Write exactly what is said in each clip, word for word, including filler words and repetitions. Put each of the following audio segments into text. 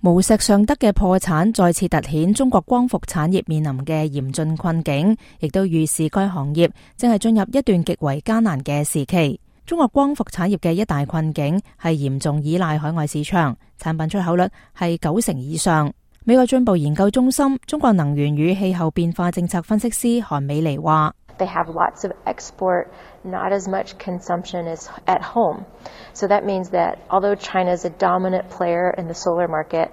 無錫尚德嘅破產再次凸顯中國光伏產業面臨嘅嚴峻困境，亦都預示該行業正係進入一段極為艱難嘅時期。中國光伏產業嘅一大困境係嚴重依賴海外市場，產品出口率係九成以上。美國進步研究中心中國能源與氣候變化政策分析師韓美妮話：They have lots of export, not as much consumption as at home. So that means that although China is a dominant player in the solar market,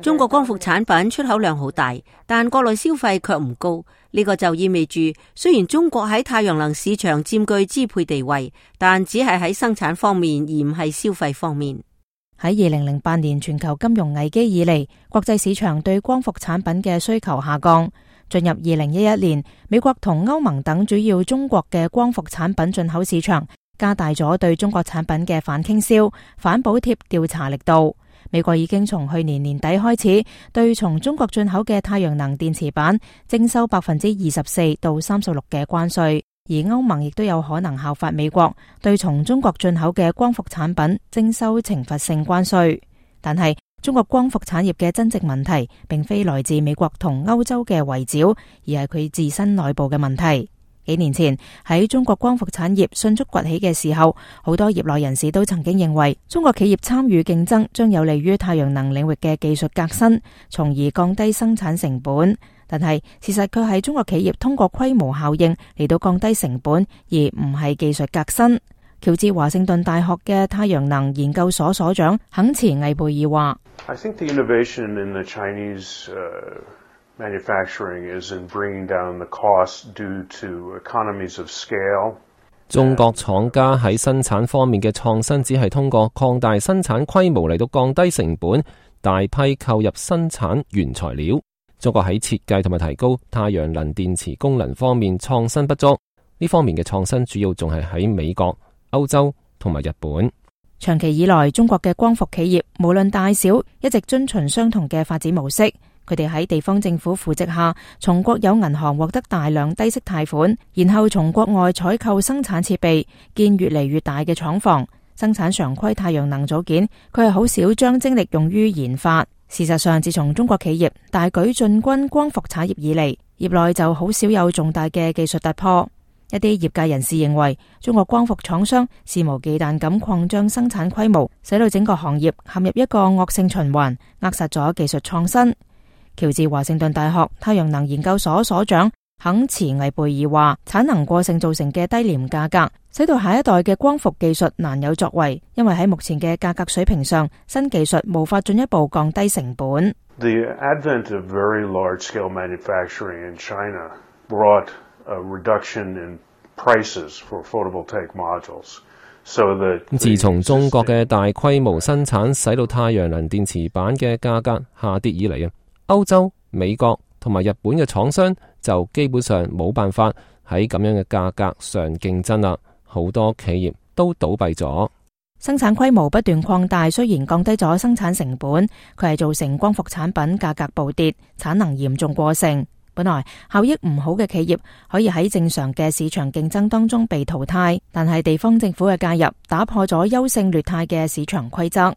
中國光伏產品出口量好大，但國內消費卻唔高。呢個就意味住，雖然中國喺太陽能市場佔據支配地位，但只係喺生產方面，而唔係消費方面。喺二零零八年全球金融危機以嚟，國際市場對光伏產品嘅需求下降。進入二零一一年，美國同歐盟等主要中國嘅光伏產品進口市場加大咗對中國產品嘅反傾銷、反補貼調查力度。美國已經從去年年底開始對從中國進口嘅太陽能電池板徵收百分之二十四到三十六嘅關稅，而歐盟亦都有可能效法美國對從中國進口嘅光伏產品徵收懲罰性關稅。但係中國光伏產業嘅真正問題並非來自美國同歐洲嘅圍剿，而係佢自身內部嘅問題。幾年前喺中國光伏產業迅速崛起嘅時候，好多業內人士都曾經認為中國企業參與競爭將有利於太陽能領域嘅技術革新，從而降低生產成本。但係事實卻係中國企業通過規模效應嚟到降低成本，而唔係技術革新。喬治華盛頓大學嘅太陽能研究所所長肯茨魏貝爾話I think the innovation in the Chinese, uh, manufacturing is in bringing down the cost due to economies of scale. 中國廠家喺生產方面嘅創新只係通過擴大生產規模嚟到降低成本，大批購入生產原材料。中國喺設計同埋提高太陽能電池功能方面創新不足，呢方面嘅創新主要仲係喺美國、歐洲同埋日本。長期以來，中國嘅光伏企業無論大小，一直遵循相同嘅發展模式。佢哋喺地方政府扶植下，從國有銀行獲得大量低息貸款，然後從國外採購生產設備，建越嚟越大嘅廠房，生產常規太陽能組件。佢係好少將精力用於研發。事實上，自從中國企業大舉進軍光伏產業以嚟，業內就好少有重大嘅技術突破。一啲業界人士認為，中國光伏廠商肆無忌憚咁擴張生產規模，使到整個行業陷入一個惡性循環，扼殺咗技術創新。喬治華盛頓大學太陽能研究所所長肯茨魏貝爾話：產能過剩造成嘅低廉價格，使到下一代嘅光伏技術難有作為，因為喺目前嘅價格水平上，新技術無法進一步降低成本。The advent of very large-scale manufacturing in China brought a reduction in prices for photovoltaic modules. So that 自從中國嘅大規模生產使到太陽能電池板嘅價格下跌以嚟啊，歐洲、美國同埋日本嘅廠商就基本上冇辦法喺咁樣嘅價格上競爭啦，好多企業都倒閉咗。生產規模不斷擴大，雖然降低咗生產成本，佢係造成光伏產品價格暴跌，產能嚴重過剩。本來效益唔好嘅企業可以喺正常嘅市場競爭當中被淘汰，但係地方政府嘅介入打破咗優勝劣汰嘅市場規則。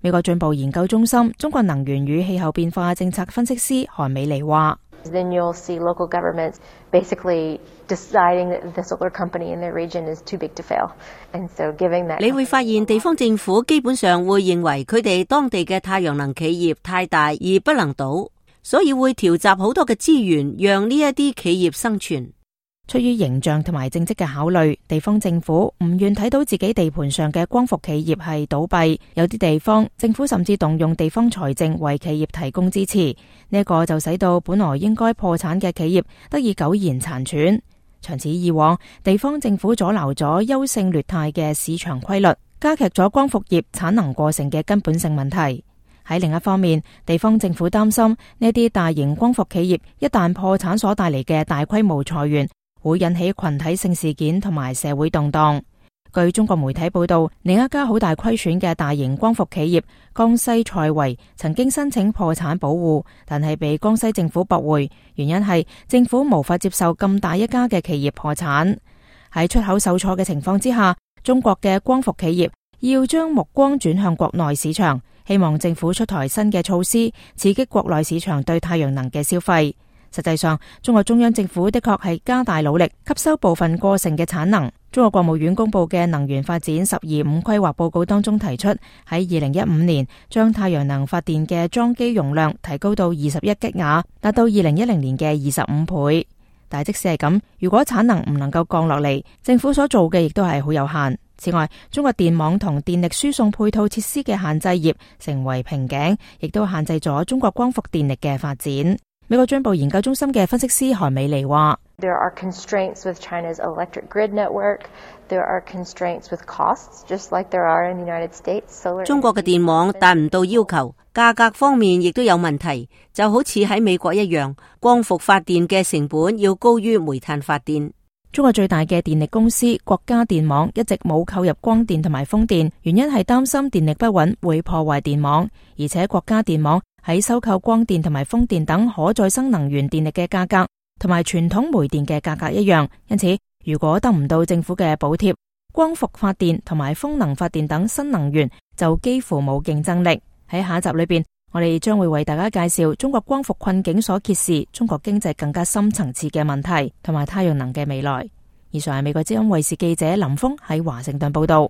美國進步研究中心中國能源與氣候變化政策分析師韓美妮話：Then you'll see local governments basically deciding that the solar company in their region is too big to fail, and so giving that. 你會發現地方政府基本上會認為佢哋當地嘅太陽能企業太大而不能倒。所以會調集好多嘅資源，讓呢一啲企業生存。出於形象同埋政績嘅考慮，地方政府唔願睇到自己地盤上嘅光伏企業係倒閉。有啲地方政府甚至動用地方財政為企業提供支持，呢、這、一個就使到本來應該破產嘅企業得以苟延殘喘。長此以往，地方政府阻撓咗優勝劣汰嘅市場規律，加劇咗光伏業產能過剩嘅根本性問題。喺另一方面，地方政府擔心呢啲大型光伏企業一旦破產所帶嚟嘅大規模裁員，會引起群體性事件同埋社會動盪。據中國媒體報道，另一家好大虧損嘅大型光伏企業江西賽維曾經申請破產保護，但係被江西政府駁回，原因係政府無法接受咁大一家嘅企業破產。喺出口受挫嘅情況之下，中國嘅光伏企業要將目光轉向國內市場。希望政府出台新嘅措施，刺激國內市場對太陽能嘅消費。實際上，中國中央政府的確係加大努力吸收部分過剩嘅產能。中國國務院公布嘅能源發展十二五規劃報告當中提出，喺二零一五年將太陽能發電嘅裝機容量提高到二十一吉瓦，達到二零一零年嘅二十五倍。但即使係咁，如果產能唔能夠降落嚟，政府所做嘅亦都係好有限。此外，中國電網同電力輸送配套設施嘅限制業成為瓶頸，亦都限制咗中國光伏電力嘅發展。美國進步研究中心嘅分析師韓美妮話：There are constraints with China's electric grid network. There are constraints with costs, just like there are in the United States. Solar 中國嘅電網達唔到要求，價格方面亦都有問題，就好似喺美國一樣，光伏發電嘅成本要高於煤炭發電。中國最大嘅電力公司國家電網一直冇購入光電同埋風電，原因係擔心電力不穩會破壞電網，而且國家電網喺收購光電同埋風電等可再生能源電力嘅價格同埋傳統煤電嘅價格一樣，因此如果得唔到政府嘅補貼，光伏發電同埋風能發電等新能源就幾乎冇競爭力。喺下一集裏邊，我哋將會為大家介紹中國光伏困境所揭示中國經濟更加深層次嘅問題，同埋太陽能嘅未來。以上係美國之音衛視記者林峰喺華盛頓報道。